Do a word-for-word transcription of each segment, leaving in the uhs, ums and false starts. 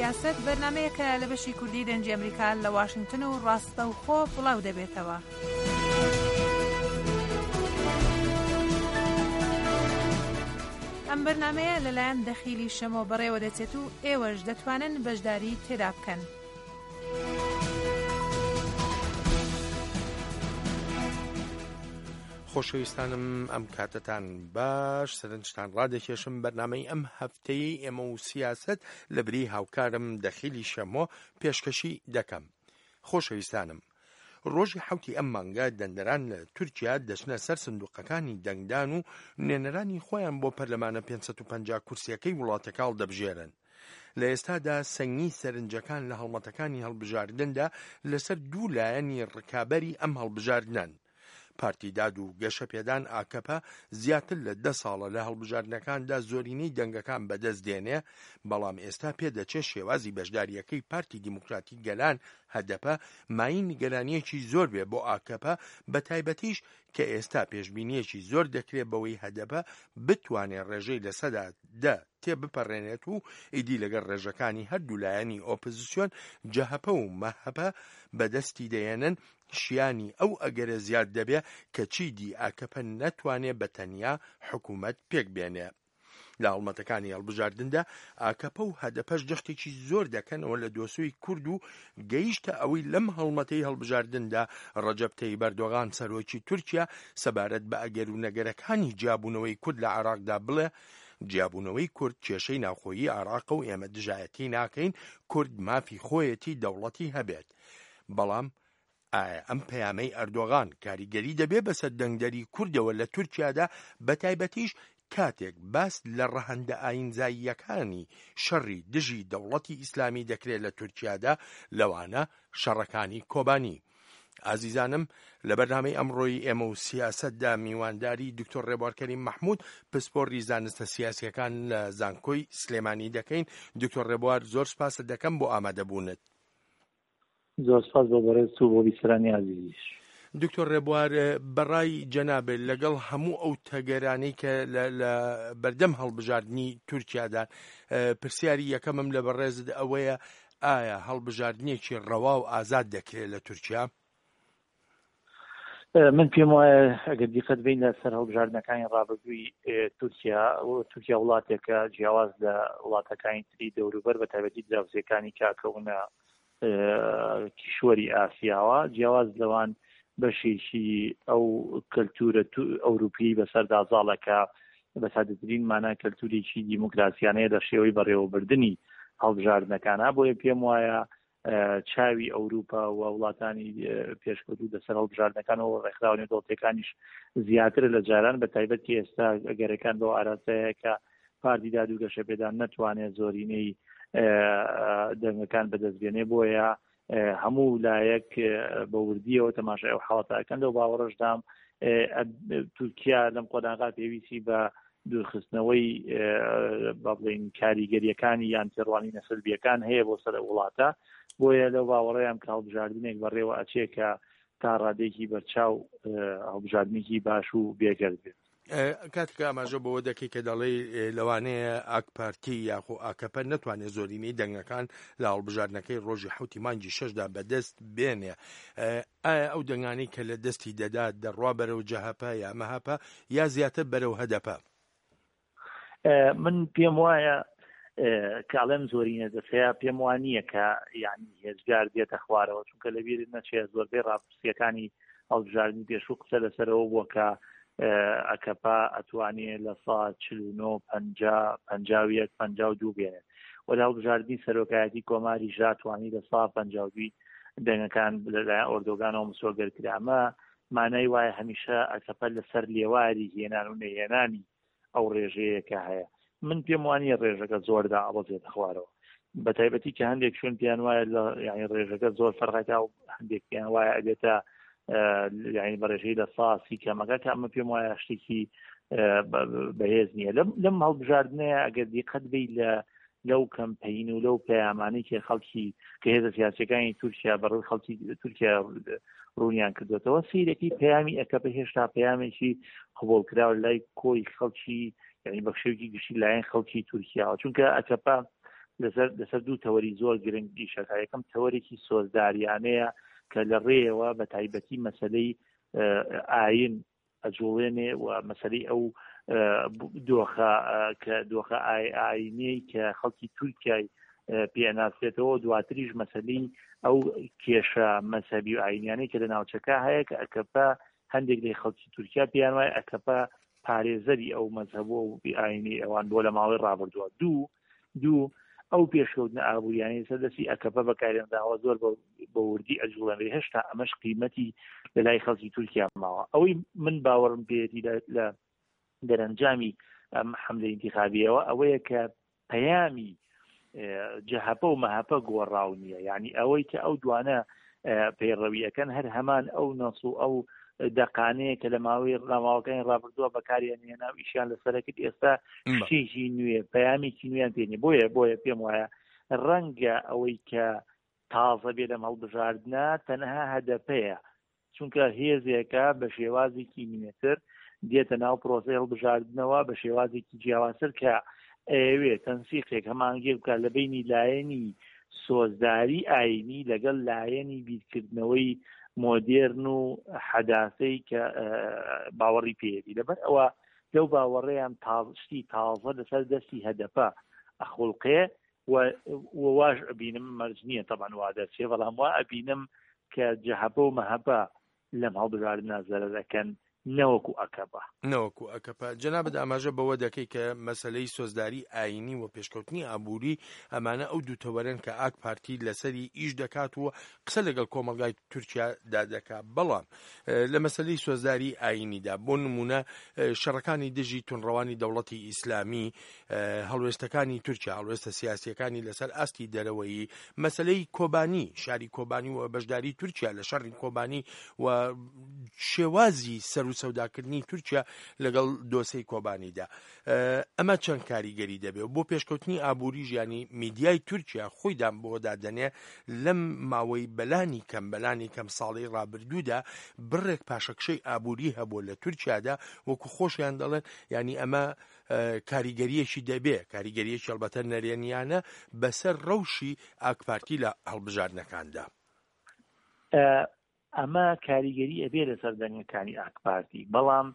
سیاسەت بەرنامەیەکە لە بەشی کوردی دەنگی ئەمریکا لە واشنگتن و ڕاستەوخۆ بڵاو دەبێتەوە. ئەم بەرنامەیە لەلایەن دەخیلی شەمۆ بەڕێوە دەچێت و ئێوەش دەتوانن بەشداری تێدا بکەن. خۆشەویستانم، ئەم کاتەتان باش. سەرنجتان ڕادەکێشم بەرنامەی ئەم هەفتەیەی ئێمە و سیاسەت لە بری هاوکارم دەخیلی شەمۆ پێشکەشی دەکەم. خۆشەویستانم، ڕۆژی حەوتی ئەم مانگە دەنگدەران لە تورکیا دەچنە سەر سندوقەکانی دەنگدان و نوێنەرانی خۆیان بۆ پەرلەمانە پێنج سەد و پەنجا کورسیەکەی وڵاتەکە هەڵدەبژێرن. لە ئێستادا سەنگی سەرنجەکان لە هەڵمەتەکانی هەڵبژاردندا لەسەر دوو لایەنی ڕکابەری ئەم هەڵبژاردنەن. پارتی داد و گەشەپێدان ئاکەپە زیاتر لە دە ساڵە لە هەڵبژاردنەکاندا زۆرینەی دەنگەکان بەدەست دێنێ، بەڵام ئێستا پێدەچێت شێوازی بەشداریەکەی پارتی دیموکراتی گەلان هەدەپە مایین نیگەرانیەکی زۆر بێ بۆ ئاکەپە، بە تایبەتیش کە ئێستا پێشبینیەکی زۆر دەکرێت بەوەی هەدەپە بتوانێت ڕێژەی لە سەدا دە تێبپەڕێنێت و ئیدی لەگەڵ ڕێژەکانی هەردوو لایەنی ئۆپۆزیسیۆن جەهەپە و مەهەپە بەدەستی دەیەنن، شیانی ئەو ئەگەرە زیاد دەبێ کە چیدی ئاکەپە نەتوانێ بە تەنیا حکوومەت پێک بێنێ. لە هەڵمەتەکانی هەڵبژاردندا ئاکەپە و هەدەپەش جەختێکی زۆر دەکەنەوە لە دۆسۆی کورد و گەیشتە ئەوەی لەم هەڵمەتەی هەڵبژاردندا ڕەجەب تەیب ئەردۆغان سەرۆکی تورکیا سەبارەت بە ئەگەر و نەگەرەکانی جیابوونەوەی کورد لە عێراقدا بڵێ جیابوونەوەی کورد کێشەی ناوخۆیی عێراقە و ئێمە دژایەتی ناکەین، کورد مافی خۆیەتی دەوڵەتی هەبێت. بەڵام ئایا ئەم پەیامەی ئەردۆغان کاریگەری دەبێ بەسەر دەنگدەری کوردەوە لە تورکیادا، بە تایبەتیش کاتێک باس لە ڕەهەندە ئاینزاییەکانی شەڕی دژی دەوڵەتی ئیسلامی دەکرێت لە تورکیادا، لەوانە شەڕەکانی کۆبانی؟ ئازیزانم، لە بەرنامەی ئەمڕۆی ئێمە و سیاسەتدا میوانداری دکتۆر ڕێبوار کەریم مەحمود، پسپۆڕی زانستە سیاسیەکان لە زانکۆی سلێمانی دەکەین. دکتۆر ڕێبوار، زۆر سپاست دەکەم بۆ ئامادەبوونت. زۆر سپاس بۆ بەڕێزت و بۆ بیسەرانی ئازیزیش. دکتۆر ڕێبوار، بەڕای جەنابێت لەگەڵ هەموو ئەو تەگەرانەی کە لە بەردەم هەڵبژاردنی تورکیادا، پرسیاری یەکەمم لە بەڕێزت ئەوەیە ئایا هەڵبژاردنێکی ڕەوا و ئازاد دەکرێت لە تورکیا؟ من پێم وایە ئەگەر دیقەت بین لەسەر هەڵبژاردنەکانی ڕابردووی تورکیا، تورکیا وڵاتێکە جیاواز لە وڵاتەکانی تری دەوروبەر، بە تایبەتی دراوسێکانی کاکەونە کیشوەری ئاسیاوە، جیاواز لەوان بەشێکی ئەو کەلتورە ئەوروپی بەسەردا زاڵەکە بە سادەترین مانا کەلتورێکی دیموکراسیانەیە لە شێوەی بەڕێوەبردنی هەڵبژاردنەکانە. بۆیە پێم وایە چاوی ئەوروپا و وڵاتانی پێشکەوتوو لەسەر هەڵبژاردنەکانەوە ڕێکخراوە نێودەوڵەتیەکانیش زیاترە لە جاران، بە تایبەت کە ئێستا ئەگەرەکان بەو ئاراستەیە کە پارتی داد و گەشەپێدان نەتوانێت زۆرینەی دەنگەکان بەدەست بێنێ. بۆیە هەموو لایەک بە وردیەوە تەماشای ئەو حاڵەتەکەن. لەو باوەڕەشدام تورکیا لەم قۆناغا پێویستی بە دوورخستنەوەی با بڵێین کاریگەریەکانی یان تێڕوانینە سلبیەکان هەیە بۆ سەر وڵاتە. بۆیە لەو باوەڕەیان کە هەڵبژاردنێک بەڕێوە ئەچێ کە تا ڕادێکی بەرچاو هەڵبژاردنێکی باش و بێگەرد بێت. کاتێک ئاماژە بەوە دەکەی کە دەڵێی لەوانەیە ئاک پارتی یاخۆ ئاکەپە نەتوانێت زۆرینەی دەنگەکان لە هەڵبژاردنەکەی ڕۆژی حوتی مانگی شەشدا بەدەست بێنێ، ئایا ئەو دەنگانەی کە لە دەستی دەدات دەڕوا بەرەو جەهەپە یا مەهەپە یا زیاتر بەرەو هەدەپە؟ من پێم وایە کە ئەڵێم زۆرینە دەسەیە، پێم وان نییە کە یعنی هێزگار دێتە خوارەوە، چونکە لەبیرت نەچێت زۆربەی ڕاپرسیەکانی هەڵبژاردنی پێشوو قسە لەسەرەوە بووە کە ئەکەپە ئەتوانێ لە سا چل و نۆ پەنجا پەنجا و یەک پەنجا و دوو بێنێت و لە هەڵبژاردنی سەرۆکایەتی کۆماری ژاتوانی لە سا پەنجا و دووی دەنگەکان لەلایەن ئۆردۆگانەوە مسۆگەر کرا. ئەمە مانای وایە هەمیشە ئەکەپە لەسەر لێواری هێنان و نەهێنانی ئەو ڕێژەیە کە هەیە. من پێم وانییە ڕێژەکە زۆردا ئەبەزێتە خوارەوە، بە تایبەتی کە هەندێک شوێن پێیان وایە لە یعنی ڕێژەکە زۆر فەرقەکە و هەندێک پێیان وایە ئەبێتە یعنی بە ڕێژەی لە ساسی کەمەکە، کە ئەمە پێم وایە شتێکی بەهێز نییە. لەم هەڵبژاردنەیە ئەگەر دیقەت بی لە لەو کەمپەین و لەو پەیامانەی کە خەڵکی کە هێزە سیاسیەکانی تورکیا بەڕووی خەڵکی تورکیا ڕوونیان کردوێتەوە، سیرەکی پەیامی ئەکەپە هێشتا پەیامێکی قبوڵکراو لای کۆی خەڵکی، یعنی بە شێوەیەکی گشتی لایەن خەڵکی تورکیاوە، چونکە ئەکەپە لەسەر لەسەر دوو تەوەری زۆر گرنگ ئیشەکە. یەکەم تەوەرێکی سۆزداریانەیە کە لە ڕێیەوە بە تایبەتی مەسلەی ئاین ئەجوڵێنێ و مەسلەی ئەو دۆخە کە دۆخە ئاینەی کە خەڵکی تورکیای پێناسێتەوە، دواتریش مەسلەی ئەو کێشە مەزهەبی و ئاینیانەی کە لە ناوچەکە هەیە کە ئەکەپە هەندێک لە خەڵکی تورکیا پێیان وایە ئەکەپە پارێزەری ئەو مەزهەب و ئاینی ئەوان بۆ لە ماوەی ڕابردووە. دوو دوو ئەو پێشکەوتنە ئابووریانەی سەر دەستی ئەکەپە بەکارێنراوە زۆر بە وردی ئەجوڵێنرێ، هێشتا ئەمەش قیمەتی لە لای خەڵکی تورکیا ماوە. ئەوەی من باوەڕم پێیەتی لە دەرەنجامی ئەم حەملەی ئینتیخابیەوە ئەوەیە کە پەیامی جەهەپە و مەهەپە گۆڕاو نییە، یعنی ئەوەی کە ئەو دوانە پەیڕەویەکەن هەر هەمان ئەو نەس و ئەو دەقانەیە کە لە ماوەی ڕاماوەکانی ڕابردووە بەکاریان هێنا و ئیشیان لەسەرە کرد، ئێستا شتێکی نوێ پەیامێکی نوێیان پێ نییە. بۆیە بۆیە پێم وایە ڕەنگە ئەوەی کە تازە بێ لەم هەڵبژاردنە تەنها هەدەپەیە، چونکە هێزێکە بە شێوازێکی نوێتر دێتە ناو پرۆسەی هەڵبژاردنەوە بە شێوازێکی جیاوازتر کە ئەیەوێ تەنسیقێک هەمانگیر بکات لە بینی لایەنی سۆزداری ئاینی لەگەڵ لایەنی بیرکردنەوەی مۆدێرن و حەداسەی کە باوەڕی پێیەتی. لەبەر ئەوە لەو باوەڕێیان شتی تازە لەسەر دەستی هەدەپە ئەخوڵقێ و واش ئەبینم، مەرج نییە تەبعەن وا دەرچێ، بەڵام وا ئەبینم کە جەهەپە و مەهەپە لەم هەڵبژاردنە زەرەر ئەکەن نەوەکو ئەکەپە. نەوەکو ئەکەپە. جەنابت ئاماژە بەوە دەکەی کە مەسلەی سۆزداری ئاینی و پێشکەوتنی ئابووری ئەمانە ئەو دوو تەوەرەن کە ئاک پارتی لەسەری ئیش دەکات و قسە لەگەڵ کۆمەڵگای تورکیادا دەکات. بەڵام لە مەسلەی سۆزداری ئاینیدا بۆ نمونە شەڕەکانی دژی تونڕەوانی دەوڵەتی ئیسلامی، هەڵوێستەکانی تورکیا، هەڵوێستە سیاسیەکانی لەسەر ئاستی دەرەوەیی، مەسلەی کۆبانی، شاری کۆبانی و بەشداری تورکیا لە شەڕی کۆبانی و شێوازی سەر و سەوداکردنی تورکیا لەگەڵ دۆسەی کۆبانیدا، ئەمە چەند کاریگەری دەبێت بۆ پێشکەوتنی ئابووری ژیانی میدیای تورکیا خۆیدان بۆدا دەنێ لەم ماوەی بەلانی کەم بەلانی کەم ساڵی ڕابردوودا بڕێک پاشەکشەی ئابووری هەبوو لە تورکیادا وەکو خۆشیان دەڵێن، یعنی ئەمە کاریگەریەکی دەبێ، کاریگەریەکی ئەلبەتە نەرێنیانە بەسەر ڕەوشی ئاکپارتی لە هەڵبژاردنەکاندا. ئەمە کاریگەری ئەبێ لەسەر دەنگەکانی ئاکپارتی، بەڵام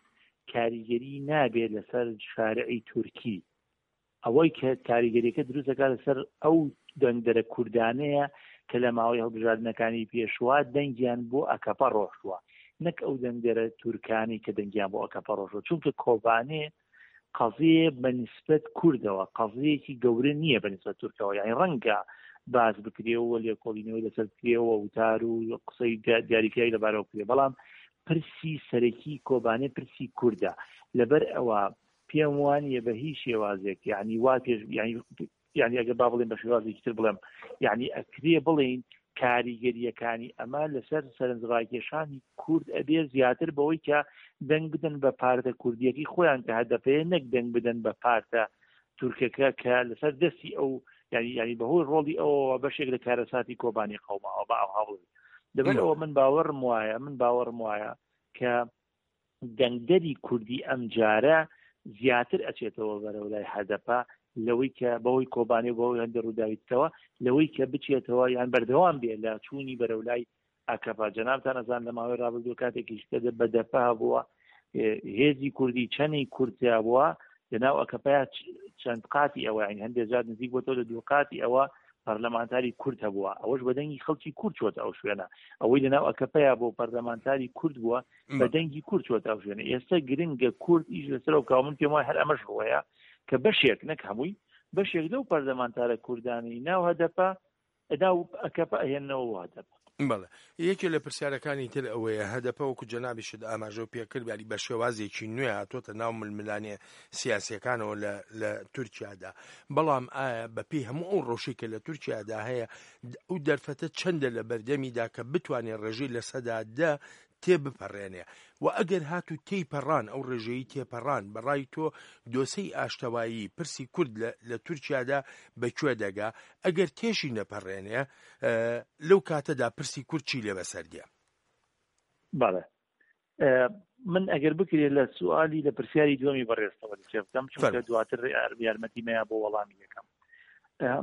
کاریگەری نابێت لەسەر شارعی تورکی. ئەوەی کە کاریگەریەکە دروست دەکات لەسەر ئەو دەنگدەرە کوردانەیە کە لە ماوەی هەڵبژاردنەکانی پێشوە دەنگیان بۆ ئەکەپە ڕۆشتووە، نەک ئەو دەنگدەرە تورکانی کە دەنگیان بۆ ئەکەپە ڕۆشتووە. چونکە کۆبانێ قەزیە بە نسبەت کوردەوە قەزیەکی گەورە نییە بە نسبەت تورکەوە، یعنی ڕەنگە باز بکرێەوە، لێکۆڵینەوەی لەسەر بکرێەوە، وتار و قسەی دیاریکراوی لەبارەوە بکرێ، بەڵام پرسی سەرەکی کۆبانێ پرسی کوردە. لەبەر ئەوە پێم وانییە بە هیچ شێوازێک، یعنی وا پێش، یعنی یعنی ئەگەر با بڵێم بە شێوازێکی تر بڵێم، یعنی ئەکرێ بڵێین کاریگەریەکانی ئەمە لەسەر سەرنجڕاکێشانی کورد ئەبێ زیاتر بەوەی کە دەنگ بدەن بە پارتە کوردیەکەی خۆیان کە هەدەپەیە، نەک دەنگ بدەن بە پارتە تورکەکە کە لەسەر دەستی ئەو، یعنی یعنی بەهۆی ڕۆڵی ئەوەوە بەشێک لە کارەساتی کۆبانی قەوماوە بە ئەو هەوڵ. لەبەر ئەوە من باوەڕم وایە، من باوەڕم وایە کە دەنگدەری کوردی ئەمجارە زیاتر ئەچێتەوە بەرەو لای هەدەپە لەوەی کە بەهۆی کۆبانی و بەهۆی هەندێک ڕووداویتەوە، لەوەی کە بچێتەوە یان بەردەوام بێ لە چوونی بەرەو لای ئاکەپە. جەنابتان ئەزان لە ماوەی ڕابردوو کاتێکیش کە بەدەپە هەبووە، هێزی کوردی چەندی کورد بووە لەناو ئەکەپەیا چەند قاتی ئەوە، یعنی هەندێک جار نزیک بۆتەوە لە دوو قاتی ئەوە پەرلەمانتاری کورد هەبووە، ئەوەش بە دەنگی خەڵکی کورد چۆتە ئەو شوێنە. ئەوەی لەناو ئەکەپەیا بۆ پەرلەمانتاری کورد بووە بە دەنگی کورد چۆتە ئەو شوێنە. ئێستا گرنگە کورد ئیش لەسەر ئەو کاوە. من پێم وایە هەر ئەمەش ڕووەیە کە بەشێک نەک هەمووی، بەشێک لەو پەرلەمانتارە کوردانەی ناو هەدەپە ناو ئەکەپە ئەهێننەوە بۆ هەدەپە. بەڵێ، یەکێ لە پرسیارەکانی تر ئەوەیە هەدەپە وەکو جەنابیشت ئاماژە پێکرد، یاری بە شێوازێکی نوێ هاتۆتە ناو ململانێ سیاسیەکانەوە لە لە تورکیادا، بەڵام ئایا بەپێی هەموو ئەو ڕەوشی کە لە تورکیادا هەیە ئەو دەرفەتە چەندە لە بەردەمیدا کە بتوانێت ڕێژەی لە سەدا دە تێبپەڕێنێ؟ و ئەگەر هاتو تێیپەڕان ئەو ڕێژەیی تێپەڕان، بەڕای تۆ دۆسەی ئاشتەوایی پرسی کورد لە تورکیادا بەکوێ دەگا؟ ئەگەر تێشی نەپەڕێنێ لەو کاتەدا پرسی کورد چی لێ بەسەر دێ؟ بەڵێ، من ئەگەر بکرێت لە سوالی لە پرسیاری دووەمی بەڕێزتەوە دەست پێ بکەم، چونکە دواتر یارمەتی مەیە بۆ وەڵامی یەکەم.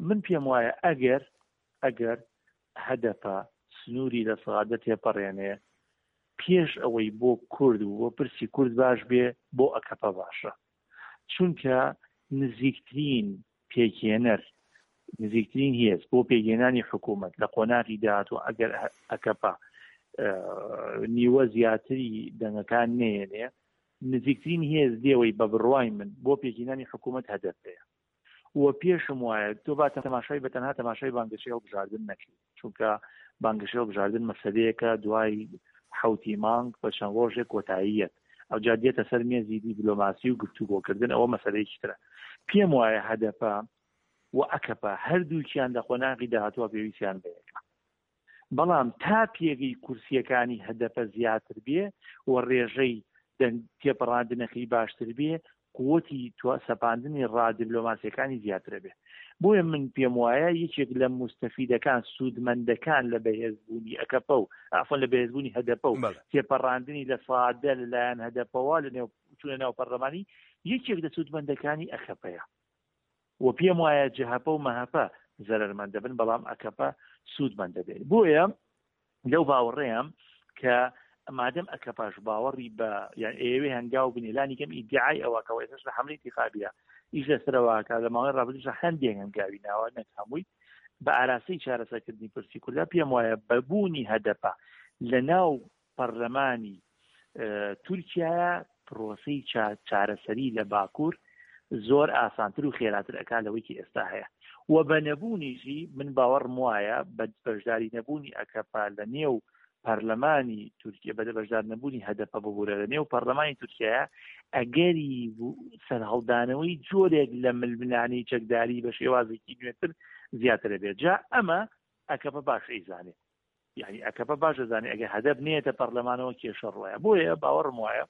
من پێم وایە ئەگەر ئەگەر هەدەپە سنووری لە سەعادە تێپەڕێنێ پێش ئەوەی بۆ کورد و بۆ پرسی کورد باش بێ بۆ ئەکەپە باشە، چونکە نزیکترین پێکهێنەر نزیکترین هێز بۆ پێکهێنانی حکوومەت لە قۆناغی داهاتوو ئەگەر ئەکەپە نیوە زیاتری دەنگەکان نێنێ، نزیکترین هێز دێوەی بە بڕوای من بۆ پێکهێنانی حکوومەت هەدەپەیە. و پێشم وایە تۆ با تەماشای بە تەنها تەماشای بانگەشەی هەڵبژاردن نەکەیت، چونکە بانگەشەی هەڵبژاردن مەسەلەیەکە دوای حەوتی مانگ بە چەند ڕۆژێک کۆتاییەت، ئەوجا دێتە سەر مێزی دیپلۆماسی و گفتوگۆکردن، ئەوە مەسەلەیەکی ترە. پێم وایە هەدەپە و ئەکەپە هەردووکیان لە قۆناغی داهاتووە پێویستیان بەیەکە، بەڵام تا پێگەی کورسیەکانی هەدەپە زیاتر بێ و ڕێژەی تێپەڕاندنەکەی باشتر بێ، قوتی سەپاندنی ڕادیبلۆماسیەکانی زیاترە بێ. بۆیە من پێم وایە یەکێک لە مستەفیدەکان سوودمەندەکان لە بەهێزبوونی ئەکەپە و عەفوەن لە بەهێزبوونی هەدەپە و تێپەڕاندنی لە سادە لەلایەن هەدەپەوە لە نێو چوونە ناو پەرلەمانی، یەکێک لە سوودمەندەکانی ئەکەپەیە. و پێم وایە جەهەپە و مەهەپە زەرەرمەند دەبن، بەڵام ئەکەپە سوودمەند دەبێت. بۆیە لەو باوەڕەیەم کە مادەم ئەکەپاش باوەڕی بە یان ئێوێ هەنگاو بنێ، لانی کەم ئیدعای ئەوە کە ئێستاش لە حەملەی ئینتیخابیە ئیش لەسەرەوەکە، لە ماوەی ڕابردووش هەندێک هەنگاوی ناوە نەک هەمووی بە ئاراستەی چارەسەرکردنی پرسی کوردە. پێم وایە بەبوونی هەدەپە لە ناو پەرلەمانی تورکیا پرۆسەی چارەسەری لە باکوور زۆر ئاسانتر و خێراتر ئەکا لەوەی کە ئێستا هەیە. و بە نەبوونیشی من باوەڕم وایە بە بەشداری نەبوونی ئەکەپە لە نێو پەرلەمانی تورکیا، بە بەشدار نەبوونی هەدەپە ببوورە لە نێو پەرلەمانی تورکیا، ئەگەری سەرهەڵدانەوەی جۆرێک لە ململانێی چەکداری بە شێوازێکی نوێتر زیاترە بێت. جا ئەمە ئەکەپە باش ئەیزانێ، یعنی ئەکەپە باش دەزانێ ئەگەر هەدەپ نێتە پەرلەمانەوە کێشە ڕۆیە. بۆیە باوەڕم وایە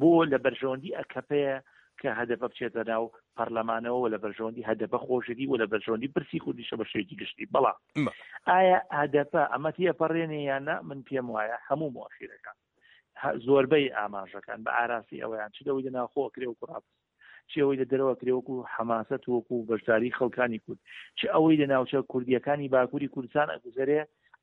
بۆ لە بەرژەوەندی ئەکەپەیە کە هەدەپە بچێتە ناو پەرلەمانەوە و لە بەرژەوەندی هەدەپە خۆشێتی و لە بەرژەوەندی پرسی کوردیشە بە شێوەیەکی گشتی. بەڵام ئایا هەدەپە ئەمە تێپەڕێنێ یان نا؟ من پێم وایە هەموو مؤشرەکان زۆربەی ئاماژەکان بە ئاراسی ئەوەیان چ لەوەی لە ناوخۆ کرێ و کوڕاپس، چ ئەوەی لە دەرەوە کرێ وەکو حەماسەت وەکو بەشداری خەڵکانی کورد، چ ئەوەی لە ناوچە کوردیەکانی باکووری کوردستان ئەگوزەرێ،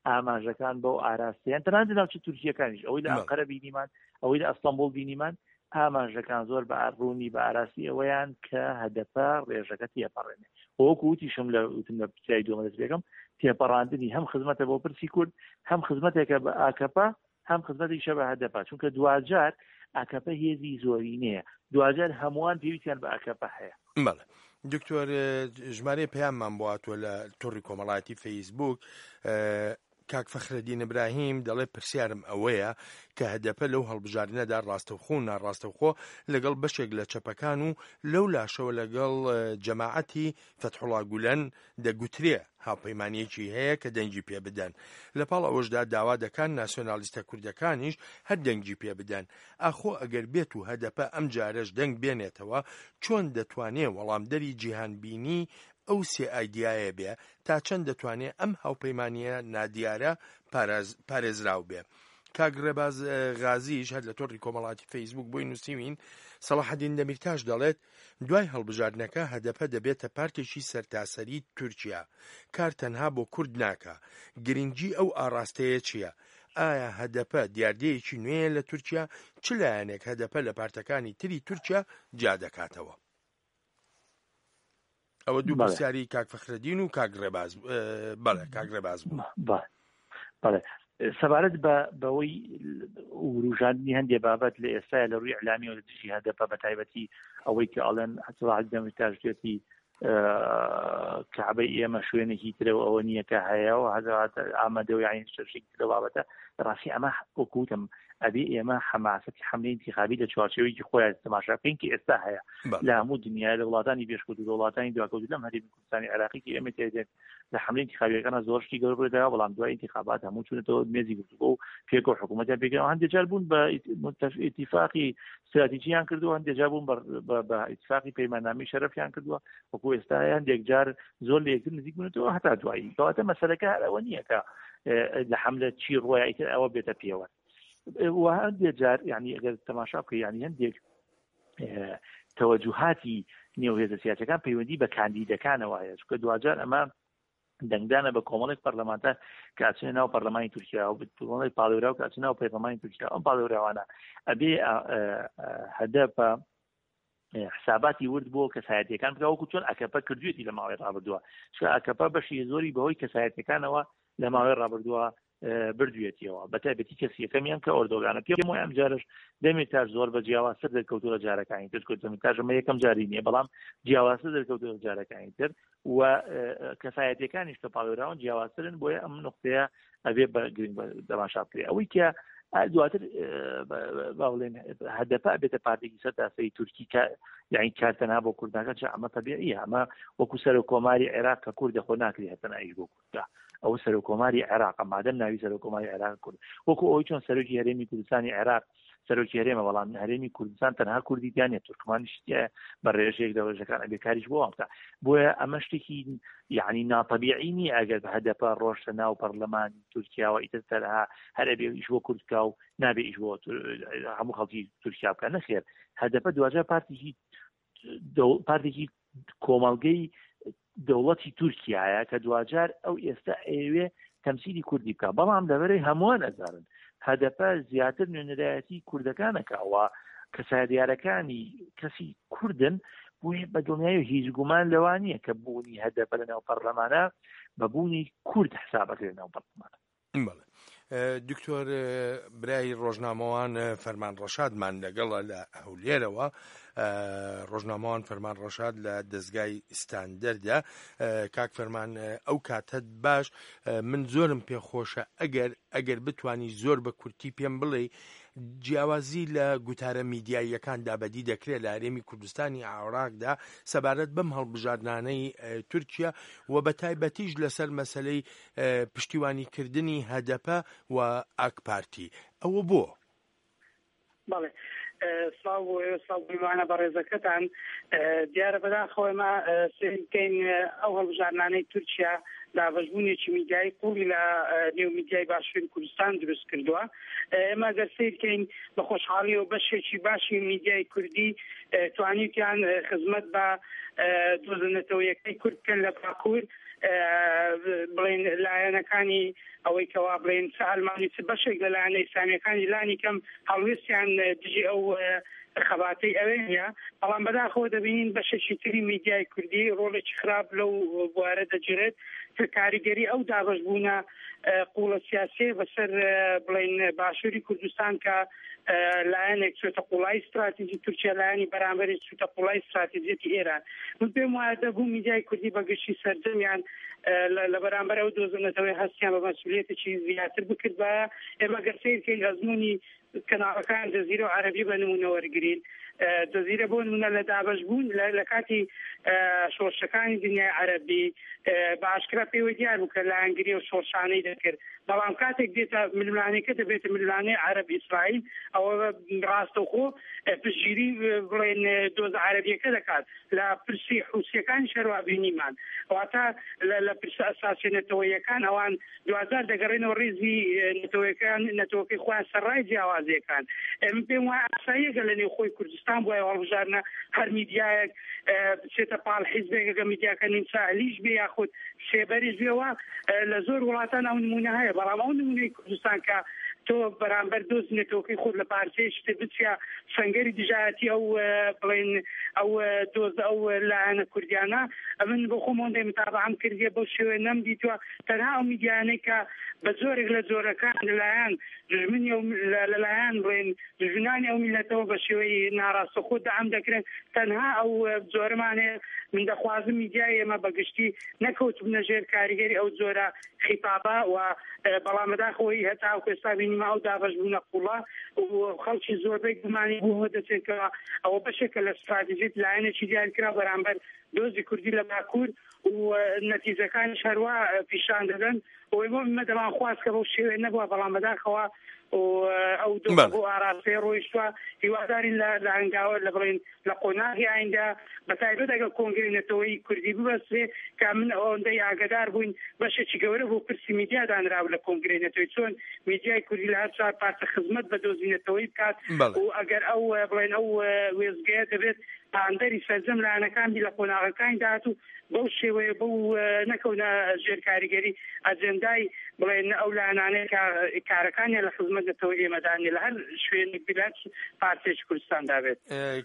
ئاماژەکان بەو ئاراستەیان، تەنانەت لە ناوچە تورکیەکانیش ئەوەی لە ئەنقەرە بینیمان، ئەوەی لە ئەستەنبوڵ بینیمان، ئاماژەکان زۆر بە ڕوونی بە ئاراسی ئەوەیان کە هەدەپە ڕێژەکە تێپەڕێنێ. وەکو وتیشم لە وتم لە پرسیاری دووەم دەست پێکەم، تێپەڕاندنی هەم خزمەتە بۆ پرسی کورد، هەم خزمەتێکە بە ئاکەپە، هەم خزمەتێکیشە بە هەدەپە، چونکە دواجار ئاکەپە هێزی زۆرینەیە، دواجار هەمووان پێویستیان بە ئاکەپە هەیە. بەڵێ دکتۆر، ژمارەی پەیاممان بۆ هاتووە لە تۆڕی کۆمەڵایەتی فەیسبوک. کاک فەخرەدین ئیبراهیم دەڵێ پرسیارم ئەوەیە کە هەدەپە لەو هەڵبژاردنەدا ڕاستەوخۆ و ناڕاستەوخۆ لەگەڵ بەشێک لە چەپەکان و لەو لاشەوە لەگەڵ جەماعەتی فەتحوڵا گولەن دەگوترێ هاوپەیمانیەکی هەیە کە دەنگی پێ بدەن، لەپاڵ ئەوەشدا داوا دەکان ناسیۆنالیستە کوردەکانیش هەر دەنگی پێ بدەن. ئاخۆ ئەگەر بێت و هەدەپە ئەم جارەش دەنگ بێنێتەوە چۆن دەتوانێ وەڵامدەری جیهانبینی ئەو سێ ئایدیایە بێ؟ تا چەند دەتوانێ ئەم هاوپەیمانیە نادیارە پارێزراو بێ؟ کاک ڕێباز غازیش هەر لە تۆڕی کۆمەڵاتی فەیسبوک بۆی نووسیوین، سەڵاحەدین دەمیرتاش دەڵێت دوای هەڵبژاردنەکە هەدەپە دەبێتە پارتێکی سەرتاسەری تورکیا، کار تەنها بۆ کورد ناکا. گرنگی ئەو ئاڕاستەیە چییە؟ ئایا هەدەپە دیاردەیەکی نوێیە لە تورکیا؟ چ لایەنێک هەدەپە لە پارتەکانی تری تورکیا جیا دەکاتەوە؟ ئەوە دوو پرسیاری کاک فەخرەدین و کاک ڕێباز. بەڵێ کاک ڕێباز بوو. بەڵێ سەبارەت بە بەوەی وروژاندنی هەندێک بابەت لە ئێستایا لە ڕووی ئیعلامیەوە لە دژی هەدەپە، بە تایبەتی ئەوەی کە ئەڵێن سەڵاحەدین دەمیرتاش دوێتی کەعبەی ئێمە شوێنێکی ترە و ئەوە نییە کە هەیە و هەزارات ئامادە و یعنی شتێکی ترە بابەتە. ڕاستی ئەمە وەکو وتم ئەبێ ئێمە حەماسەتی حەملەی ئینتیخابی لە چوارچێوەیەکی خۆیان تەماشا بکەین کە ئێستا هەیە لە هەموو دنیا، لە وڵاتانی پێشکەوتوو، لە وڵاتانی دواکەوتوو، لەم هەرێمی کوردستانی عێراقی کە ئێمە تێدێن لە حەملەی ئینتیخابیەکانە زۆر شتی گەورە ڕوویدا، بەڵام دوای ئینتیخابات هەموو چوونەتەوە مێزی گفتوگۆ و پێکەوە حکوومەتیان پێکەوە. هەندێک جار بوون بە ئیتیفاقی استراتیژیان کردووە، هەندێک جار بوون بە ئیتفاقی پەیماننامەی شەرەفیان کردووە، وەکو ئێستا هەندێک جار زۆر لە یەکتر نزیک بوونەتەوە هەتا دوایی. کەواتە مەسەلەکە هەر ئەوە نییە کە لە حەملە چی ڕۆیە ئیتر ئەوە بێتە پێوە. و هەندێک جار یعنی ئەگەر تەماشا بکەی، یعنی هەندێک تەوەجوهاتی نێو هێزە سیاسەکان پەیوەندی بە کاندیدەکانەوە هەیە، چونکە دواجار ئەمە دەنگدانە بە کۆمەڵێک پەرلەمانتار کە ئەچنە ناو پەرلەمانی تورکیا و کۆمەڵێک پاڵێوراو کە ئەچنە ناو پەرلەمانی تورکیا. ئەم پاڵێوراوانە ئەبێ هەدەپە حساباتی ورد بۆ کەسایەتیەکان بکە، وەکو چۆن ئەکەپە کردوێتی لە ماوەی ڕابردووە، چونکە ئەکەپە بەشی زۆری بەهۆی کەسایەتیەکانەوە لە ماوەی ڕابردووە بردوێتیەوە، بە تایبەتی کەسی یەکەمیان کە ئۆردۆگانە. پێم وایە ئەم جارش دەمیرتاش زۆر بە جیاوازتر دەرکەوتووە لە جارەکانی تر، چونکە دەمیرتاش ئەمە یەکەم جاری نییە، بەڵام جیاوازتر دەرکەوتووە لە جارەکانی تر و کەسایەتیەکانیش کە پاڵێوراون جیاوازترن. بۆیە ئەم نقطەیە ئەبێ بە گرنگ دەماشا بکرێ. ئەوەی کە دواتر با بڵێن هەدەپە بێتە پارتێکی سەرتاسەری تورکی کە یعنی کار تەنها بۆ کوردەکە، چ ئەمە تەبیعیە، ئەمە وەکو سەرۆک کۆماری عێراق کە کوردە خۆ ناکرێ هەتەنها ئیش بۆ کوردە، ئەو سەرۆک کۆماری عێراق مادەم ناوی سەرۆک کۆماری عێراق کورد، وەکو ئەوەی چۆن سەرۆکی هەرێمی کوردستانی عێراق سەرۆکی هەرێمە، بەڵام هەرێمی کوردستان تەنها کوردی تیا نییە، تورکمانیش تیایە بە ڕێژەیەک لە ڕێژەکان ئەبێ کاریش بۆ وان بکە. بۆیە ئەمە شتێکی یعنی ناتەبیعی نییە ئەگەر بە هەدەپە ڕۆشتە ناو پەرلەمانی تورکیاوە ئیتر تەنها هەر ئەبێ ئیش بۆ کورد بکا و نابێ ئیش بۆ هەموو خەڵکی تورکیا بکە. نەخێر، هەدەپە دواجار پارتێکی پارتێکی کۆمەڵگەی دەوڵەتی تورکیایە کە دواجار ئەو ئێستا ئەیەوێ تەمسیلی کوردی بکە، بەڵام لەبەرەی هەمووان ئەزانن هەدەپە زیاتر نوێنەرایەتی کوردەکانەکەوە کەسایەتیارەکانی کەسی کوردن، بۆیە بە دڵنیایی هیچ گومان لەوە نییە کە بوونی هەدەپە لەناو پەرلەمانە بە بوونی کورد حسابەکرێت ناو پەرلەمانە. بەڵێ دکتۆر برای ڕۆژنامەوان فەرمان ڕەشادمان لەگەڵە لە هەولێرەوە. ڕۆژنامەوان فەرمان ڕەشاد لە دەستگای ستاندەردا. کاک فەرمان ئەو کاتت باش، من زۆرم پێخۆشە ئەگەر ئەگەر بتانی زۆر بە کورتی پێم بڵێ جیاوازی لە گوتارە میدیاییەکاندا بەدی دەکرێت لە هەرێمی کوردستانی عێراقدا سەبارەت بەم هەڵبژاردنانەی تورکیا و بە تایبەتیش لەسەر مەسلەی پشتیوانیکردنی هەدەپە و ئاک پارتی، ئەوە بۆ؟ بەڵێ سڵاو بۆ ئێوە، سڵاو بۆ بەڕێزەکەتان. دیارە بەداخەوە ئێمە سەیر بکەین ئەو هەڵبژاردنانەی تورکیا دابەشبوونێکی میدیایی قوڵی لە نێو میدیای باشووری کوردستان دروست کردووە. ئێمە ئەگەر سەیر بکەین بە خۆشحاڵیەوە بەشێکی باشی میدیای کوردی توانیوتیان خزمەت بە دۆزە نەتەوەیەکەی کورد بکەن لە باکوور، بڵێن لایەنەکانی ئەوەی کەوا بڵێن چ ئەلمانی چ بەشێک لە لایەنە ئیسلامیەکانی لانی کەم هەڵوێستیان دژی ئەو خەباتەی ئەوێ نییە. بەڵام بەداخەوە دەبینین بەشێکی تری میدیای کوردی ڕۆڵێکی خراپ لەو بوارە دەگێڕێت کە کاریگەری ئەو دابەشبوونە قوڵە سیاسیە بەسەر بڵێن باشووری کوردستان کە لایەنێک چێتە قوڵای استراتیژی تورکیا، لایەنی بەرامبەری چێتە قوڵای استراتیژیەتی ئێران. من پێم وایە دەبوو میدیای کوردی بەگشتی سەرجەمیان لە بەرامبەر ئەو دۆزەنەتەوەی هەستیان بە مەسئولیەتێکی زیاتر بکردبایە. ئێمە گەر سەیر بکەین ئەزموونی کەناڵەکان جەزیرە و عەرەبی بە نمونە وەرگرین، جەزیرە بۆ نمونە لە دابەشبوون لە کاتی شۆڕشەکانی دنیای عەرەبی بە ئاشکرا پێوە دیار بوو کە لایەنگری و شۆڕشانەی دەکرد، بەڵام کاتێک دێتە ململانێکە دەبێتە ململانێ عەرەب ئیسرائیل، ئەوە ڕاستەوخۆ پشتگیری بڵێن دۆزە عەرەبیەکە دەکات. لە پرسی حوسیەکانی شەروا بینیمان، واتە لە پرسە ئەساسی نەتەوەیەکان ئەوان دوازار دەگەڕێنەوە ڕیزی نەتەوەیەکان نەتەوەکەی خۆیان سەرڕای جیاوازیەکان. من پێم وایە ئاساییەکە لە نێوخۆی کوردستان بۆیە هەڵبژاردنە هەر میدیایەک بچێتە پاڵ حیزبێکەکە میدیاکە نیمچە ئەهلیش بێ یاخود سێبەریش بێەوە. لە زۆر وڵاتان ئەو نمونە هەیە، بەڵام ئەو نمونەی کوردستان کە تۆ بەرامبەر دۆز نەتەوەکەی خۆت لە پارچەیەکی تر بچیە سەنگەری دژایەتی ئەو بڵێن ئەو دۆز ئەو لایەنە کوردیانە، ئەمن بۆ خۆم هۆندەی متابعەم کردیە بەو شێوەیە نەمدیتووە. تەنها ئەو میدیانەی کە بە زۆرێک لە زۆرەکان لەلایەن دژمنی ئەو لەلایەن بڵێن دژمنانی ئەو میلەتەوە بە شێوەی ناڕاستەوخۆ دەعم دەکرێن، تەنها ئەو زۆرەمان هەیە. من دەخوازم میدیای ئێمە بەگشتی نەکەوتبنە ژێر کاریگەری ئەو جۆرە خیتابە و بەڵام بەداخەوەی هەتاوەکو ئێستا بینیمە ئەو دابەشبوونە قوڵە و خەڵکی زۆربەی گومانی بۆ دەچێتەوە ئەوە بەشێکە لە استراتیژیت لایەنێکی دیارکرا بەرامبەر دۆزی کوردی لە باکوور و نەتیجەکانیش هەروە پیشان دەدەن. ئەوەی بۆ ئێمە دەمان خواست کە بەو شێوەیە نەبووە، بەڵام بەداخەوە ئەو دۆخە بۆ ئاراستەیە ڕۆیشتووە. هیوادارین لە هەنگاوە لە بڵێن لە قۆناغی ئایندە بە تایبەت ئەگەر کۆنگرەی نەتەوەیی کوردی ببەسترێ کە من ئەوەندەی ئاگادار بووین بەشێکی گەورە بۆ پرسی میدیا دانراو لە کۆنگرەی نەتەوەیی، چۆن میدیای کوردی لە هەر چوار پارچە خزمەت بە دۆزی نەتەوەیی بکات و ئەگەر ئەو بڵێن ئەو وێزگەیە دەبێت پاندەری سەرجەم لایەنەکان بی لە قۆناغەکانی داهاتوو بەو شێوەیە بەو نەکەونە ژێر کاریگەری ئەجەندای بڵێن ئەو لایەنانەی کە کارەکانیان لە خزمەت نەتەوەی ئێمەدا نیە لە هەر شوێنێک بی لە هەر پارچەیەکی کوردستاندا بێت.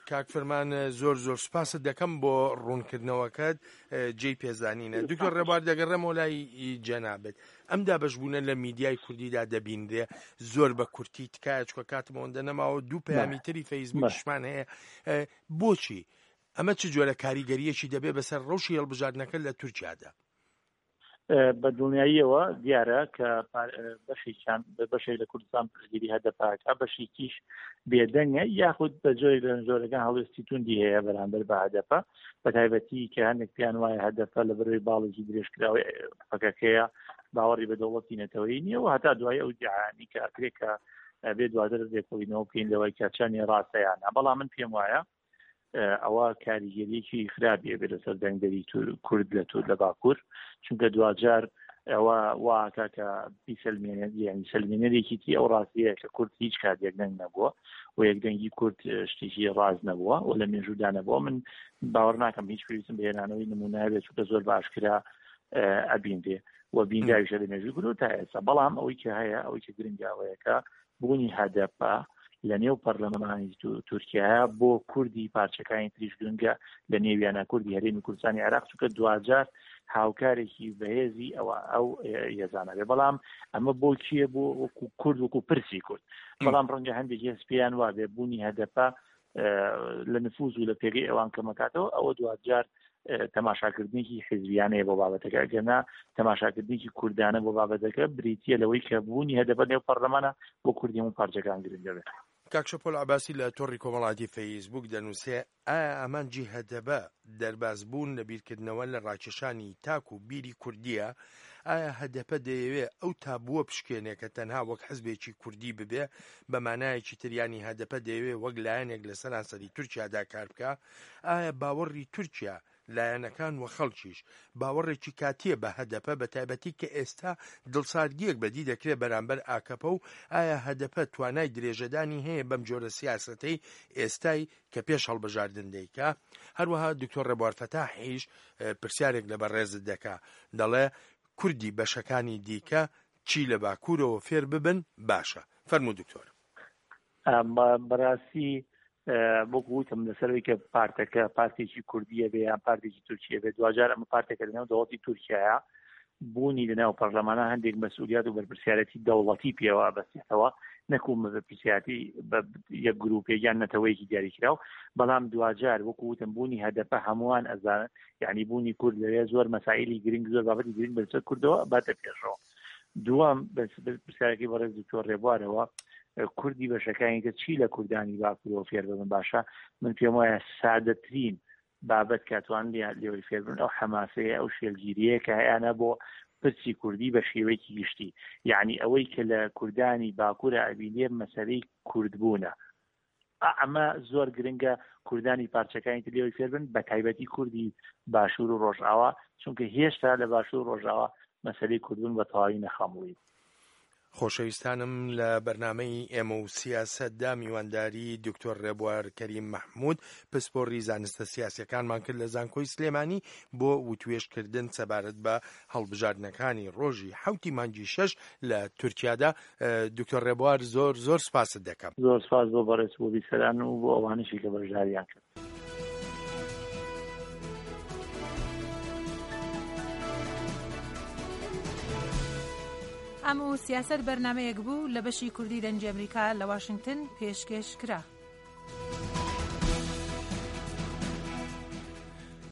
کاک فەرمان زۆر زۆر سوپاست دەکەم بۆ ڕوونکردنەوەکەت، جێی پێزانینە. دکتۆر ڕێبوار دەگەڕێمەوە لای جەنابت. ئەم دابەشبوونە لە میدیای کوردیدا دەبینرێ زۆر بە کورتی تکایە، چونکە کاتم ئەوەندە نەماوە، دوو پەیامی تری فەیسبووکیشمان هەیە. بۆچی ئەمە چ جۆرە کاریگەریەکی دەبێ بەسەر ڕەوشی هەڵبژاردنەکە لە تورکیادا؟ بە دڵنیاییەوە دیارە کە بەشێکیان بەشێک لە کوردستان پشتگیری هەدەپاکە، بەشێکیش بێدەنگە یاخود بە جۆرێک لە جۆرەکان هەڵوێستی توندی هەیە بەرامبەر بە هەدەپە، بە تایبەتی کە هەندێک پێیان وایە هەدەپە لە بەرەوەی باڵێکی درێژکراوەی پەکەکەیە، باوەڕی بە دەوڵەتی نەتەوەیی نییە و هەتا دوای ئەو دیعایانەی کە ئەکرێ کە بێ دواتر لێکۆڵینەوە بکەین لەوەی کە چەندی ڕاستەیانە. بەڵام من پێم وایە ئەوە کاریگەریەکی خراپی ئەبێت لەسەر دەنگدەری کورد لە تور لە باکوور، چونکە دواجار ئەوە واکە کە بیسەلمێنێت، یعنی سەلمێنەرێکی تری ئەو ڕاستیە کە کورد هیچ کات یەکدەنگ نەبووە و یەکدەنگی کورد شتێکی ڕاست نەبووە و لە مێژوودا نەبووە. من باوەڕ ناکەم هیچ پێویستم بە هێنانەوەی نمونە بێت، چونکە زۆر باشکرا ئەبینرێ و بینراویشە لە مێژووی کورد تا ئێستا. بەڵام ئەوەی کە هەیە، ئەوەی کە گرنگە ئەوەیە کە بوونی هەدەپە لە نێو پەرلەمانی تورکیا بۆ کوردی پارچەکانی تریش گرنگە، لە نێویانە کوردی هەرێمی کوردستانی عێراق، چونکە دواجار هاوکارێکی بەهێزی ئەوە ئەو هێزانە بێ. بەڵام ئەمە بۆ کێ؟ بۆ وەکو کورد، وەکو پرسی کورد. بەڵام ڕەنگە هەندێک هێز پێیان وابێ بوونی هەدەپە لە نفوز و لە پێگەی ئەوان کەمەکاتەوە، ئەوە دواجار تەماشاکردنێکی حیزبیانەیە بۆ بابەتەکە. ئەگەرنا تەماشاکردنێکی کوردانە بۆ بابەتەکە بریتیە لەوەی کە بوونی هەدەپە نێو پەرلەمانە بۆ کوردی هەموو پارچەکان گرنگە بێت. کاک شەپۆل عەباسی لە تۆڕی کۆمەڵاتی فەیسبوک دەنووسێ ئایا ئامانجی هەدەپە دەربازبوون لە بیرکردنەوە لە ڕاکێشانی تاک و بیری کوردیە؟ ئایا هەدەپە دەیەوێ ئەو تابووە بشکێنێ کە تەنها وەک حزبێکی کوردی ببێ؟ بە مانایەکی تریانی هەدەپە دەیەوێ وەک لایەنێک لە سەرانسەری تورکیادا کار بکە؟ ئایا باوەڕی تورکیا لایەنەکان و خەڵکیش باوەڕێکی کاتیە بە هەدەپە، بە تایبەتی کە ئێستا دڵساردیەک بەدی دەکرێت بەرامبەر ئاکەپە و ئایا هەدەپە توانای درێژەدانی هەیە بەم جۆرە سیاسەتەی ئێستای کە پێش هەڵبژاردن دەیکا؟ هەروەها دکتۆر ڕێبوار فەتاحیش پرسیارێک لە بەڕێزت دەکا، دەڵێ کوردی بەشەکانی دیکە چی لە باکوورەوە فێر ببن باشە؟ فەرموو دکتۆر. بەڕاستی بۆ وتم لەسەرەوەی کە پارتەکە پارتێکی کوردیە بێ یان پارتێکی تورکیە بێ، دواجار ئەمە پارتێکە لەناو دەوڵەتی تورکیایە، بوونی لەناو پەرلەمانە هەندێک مەسئولیات و بەرپرسیارەتی دەوڵەتی پێوە بەستێتەوە، نەکوو بەرپرسیارەتی بە یەک گروپێک یان نەتەوەیەکی دیاریکراو. بەڵام دواجار وەکو وتم بوونی هەدەپە هەمووان ئەزانن، یعنی بوونی کورد لەوێ زۆر مەسائلی گرنگ، زۆر بابەتی گرنگ بەسەر کوردەوە باتە پێشەوە. دووەم پرسیارەکەی بەڕێز دکتۆر ڕێبوارەوە، کوردی بەشەکانی تر چی لە کوردانی باکوورەوە فێر ببن باشە؟ من پێم وایە سادەترین بابەت کە توان لێوەی فێر بن ئەو حەماسەیە، ئەو شێلگیریەیە کە هەیانە بۆ پرسی کوردی بە شێوەیەکی گشتی. یعنی ئەوەی کە لە کوردانی باکوورە ئەبینێ مەسەلەی کوردبوونە، ئەمە زۆر گرنگە کوردانی پارچەکانی تر لێوەی فێر بن، بە تایبەتی کوردی باشوور و ڕۆژئاوا، چونکە هێشتا لە باشوور و ڕۆژئاوا مەسەلەی کوردبوون بە تەواوی نەخەمڵی. خۆشەویستانم لە بەرنامەی ئێمە و سیاسەتدا میوانداری دکتۆر ڕێبوار کەریم مەحموود پسپۆڕی زانستە سیاسیەکانمان کرد لە زانکۆی سلێمانی بۆ وتوێژکردن سەبارەت بە هەڵبژاردنەکانی ڕۆژی حەوتی مانگی شەش لە تورکیادا. دکتۆر ڕێبوار زۆر زۆر سپاست دەکەم. زۆر سپاس بۆ بەڕێز بۆ بیسەران و بۆ ئەوانەشی کە بەشداریان کرد. ئەم و سیاسەت بەرنمەیەک بوو لە بەشی کوردی دەنگی ئەمریکا لە واشنگتن پێشکێش کرا.